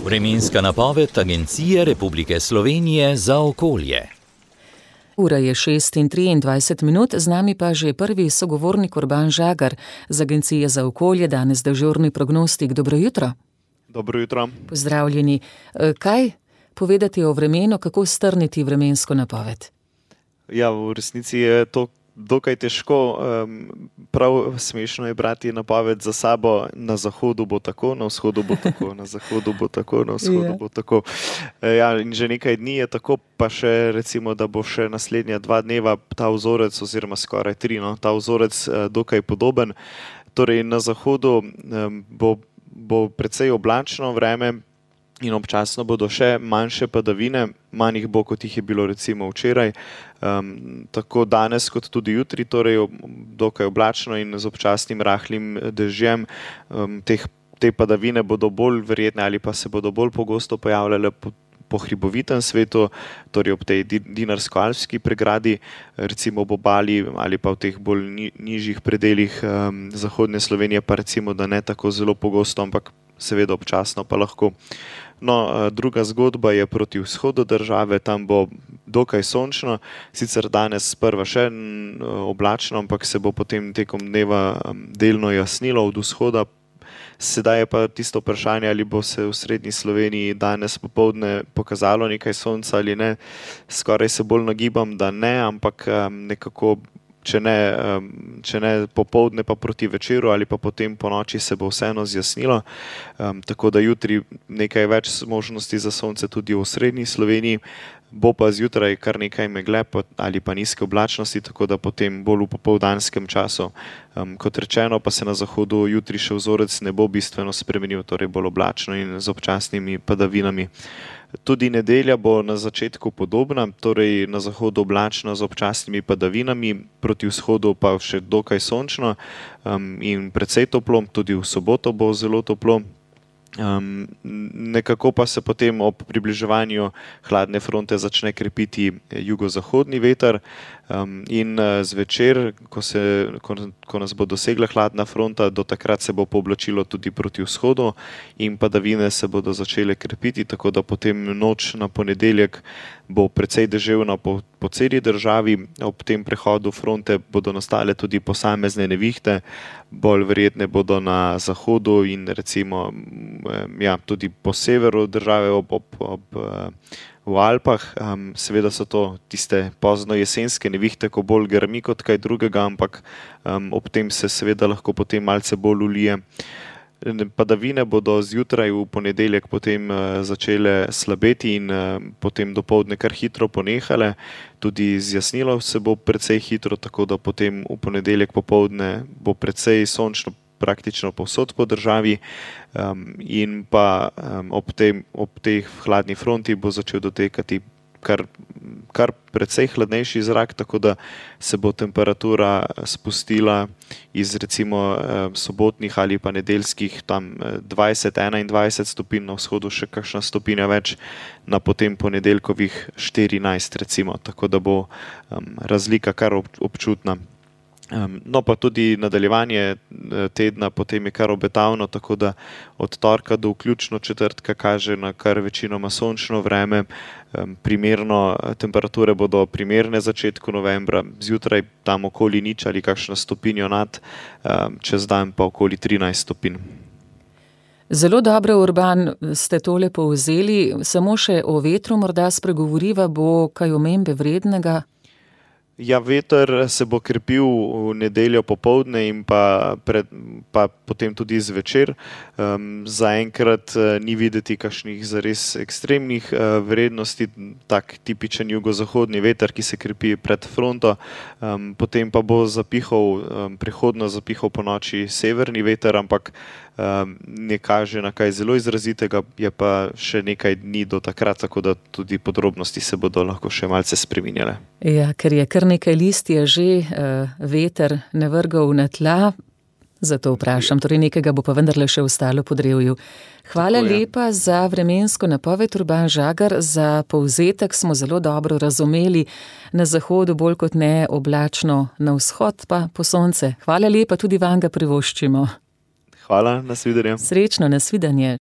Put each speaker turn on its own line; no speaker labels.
Vremenska napoved Agencije Republike Slovenije za okolje.
Ura je 6:23, z nami pa že prvi sogovornik Urban Žagar z Agencije za okolje, danes dežurni prognostik. Dobro jutro.
Dobro jutro.
Pozdravljeni. Kaj povedati o vremenu, kako strniti vremensko napoved?
Ja, v resnici je to dokaj težko. Prav smešno je brati napoved za sabo. Na zahodu bo tako, na vzhodu bo tako, na zahodu bo tako, na vzhodu bo tako. Ja, in že nekaj dni je tako, pa še recimo, da bo še naslednja 2 dneva ta vzorec, oziroma skoraj 3, ta vzorec dokaj podoben. Torej na zahodu bo precej oblačno vreme in občasno bodo še manjše padavine, manj jih bo, kot jih je bilo recimo včeraj. Tako danes kot tudi jutri, torej dokaj oblačno in z občasnim rahlim dežjem. Te padavine bodo bolj verjetne ali pa se bodo bolj pogosto pojavljale po hribovitem svetu, torej ob tej Dinarsko-Alpski pregradi, recimo ob obali ali pa v teh bolj nižjih predelih zahodne Slovenije, pa recimo, da ne tako zelo pogosto, ampak seveda občasno pa lahko. Druga zgodba je proti vzhodu države, tam bo dokaj sončno, sicer danes sprva še oblačno, ampak se bo potem tekom dneva delno jasnilo od vzhoda. Sedaj je pa tisto vprašanje, ali bo se v srednji Sloveniji danes popoldne pokazalo nekaj sonca ali ne. Skoraj se bolj nagibam, da ne, ampak nekako, če ne popoldne, pa proti večeru ali pa potem po noči se bo vseeno zjasnilo. Tako da jutri nekaj več možnosti za sonce tudi v srednji Sloveniji. Bo pa zjutraj kar nekaj megle ali pa nizke oblačnosti, tako da potem bolj v popoldanskem času. Kot rečeno, pa se na zahodu jutri še vzorec ne bo bistveno spremenil, torej bolj oblačno in z občasnimi padavinami. Tudi nedelja bo na začetku podobna, torej na zahodu oblačno z občasnimi padavinami, proti vzhodu pa še dokaj sončno in precej toplo, tudi v soboto bo zelo toplo. Nekako pa se potem ob približevanju hladne fronte začne krepiti jugozahodni veter in zvečer, ko nas bo dosegla hladna fronta, do takrat se bo pooblačilo tudi proti vzhodu in padavine se bodo začele krepiti, tako da potem noč na ponedeljek bo precej deževna po celi državi. Ob tem prehodu fronte bodo nastale tudi posamezne nevihte, bolj verjetne bodo na zahodu in recimo tudi po severu države v Alpah. Seveda so to tiste pozno jesenske nevihte, ko bolj grmi kot kaj drugega, ampak ob tem se seveda lahko potem malce bolj ulije. Padavine bodo zjutraj v ponedeljek potem začele slabeti in potem dopoldne kar hitro ponehale. Tudi zjasnilo se bo precej hitro, tako da potem v ponedeljek popoldne bo precej sončno praktično povsod po državi in pa ob tej hladni fronti bo začel dotekati kar precej hladnejši zrak, tako da se bo temperatura spustila iz recimo sobotnih ali pa nedeljskih tam 20-21 stopinj, na vzhodu še kakšna stopinja več, na potem ponedeljkovih 14 recimo, tako da bo razlika kar občutna. Pa tudi nadaljevanje tedna potem je kar obetavno, tako da od torka do vključno četrtka kaže na kar večinoma sončno vreme. Temperature bodo primerne začetku novembra, zjutraj tam okoli 0 ali kakšno stopinjo nad, čez dan pa okoli 13 stopinj.
Zelo dobro, Urban, ste tole povzeli. Samo še o vetru morda spregovoriva, bo kaj omembe vrednega?
Ja, veter se bo krepil v nedeljo popoldne in pa potem tudi zvečer. Zaenkrat ni videti kakšnih zares ekstremnih vrednosti, tak tipičen jugozahodni veter, ki se krepi pred fronto. Potem pa bo prehodno zapihal po noči severni veter, ampak ne kaže na kaj zelo izrazitega, je pa še nekaj dni do takrat, tako da tudi podrobnosti se bodo lahko še malce spreminjale.
Ja, ker je kar nekaj listja že veter navrgal na tla, zato vprašam, torej nekega bo pa vendarle še ostalo po drevju. Hvala lepa za vremensko napoved, Urban Žagar, za povzetek smo zelo dobro razumeli. Na zahodu bolj kot ne oblačno, na vzhod pa po sonce. Hvala lepa, tudi vam ga privoščimo.
Hvala, nasvidenje.
Srečno, nasvidenje.